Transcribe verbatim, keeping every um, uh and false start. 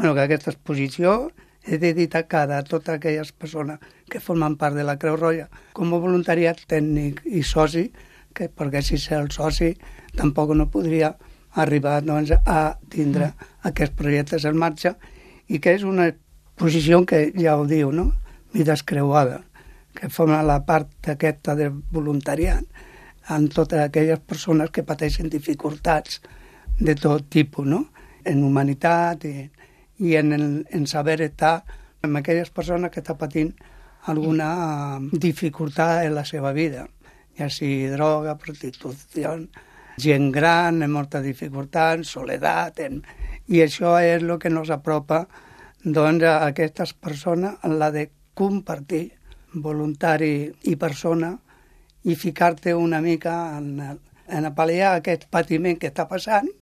bueno, que aquesta exposició és dedicada a totes aquelles persones que formen part de la Creu Roja com a voluntariat tècnic i soci, que perquè si ser el soci tampoc no podria arribar doncs, a tindre aquests projectes en marxa, i que és una exposició que ja ho diu, no? Vides creuades, que forma la part aquesta de voluntariat en totes aquelles persones que pateixen dificultats de tot tipus, no? En humanitat i, i en, el, en saber estar amb aquelles persones que estan patint alguna dificultat en la seva vida, ja sigui droga, prostitució, gent gran, amb molta dificultat, soledat, en... i això és el que ens apropa doncs, a aquestes persones, en la de compartir voluntari i persona i ficar-te una mica en, en a pal·liar aquest patiment que està passant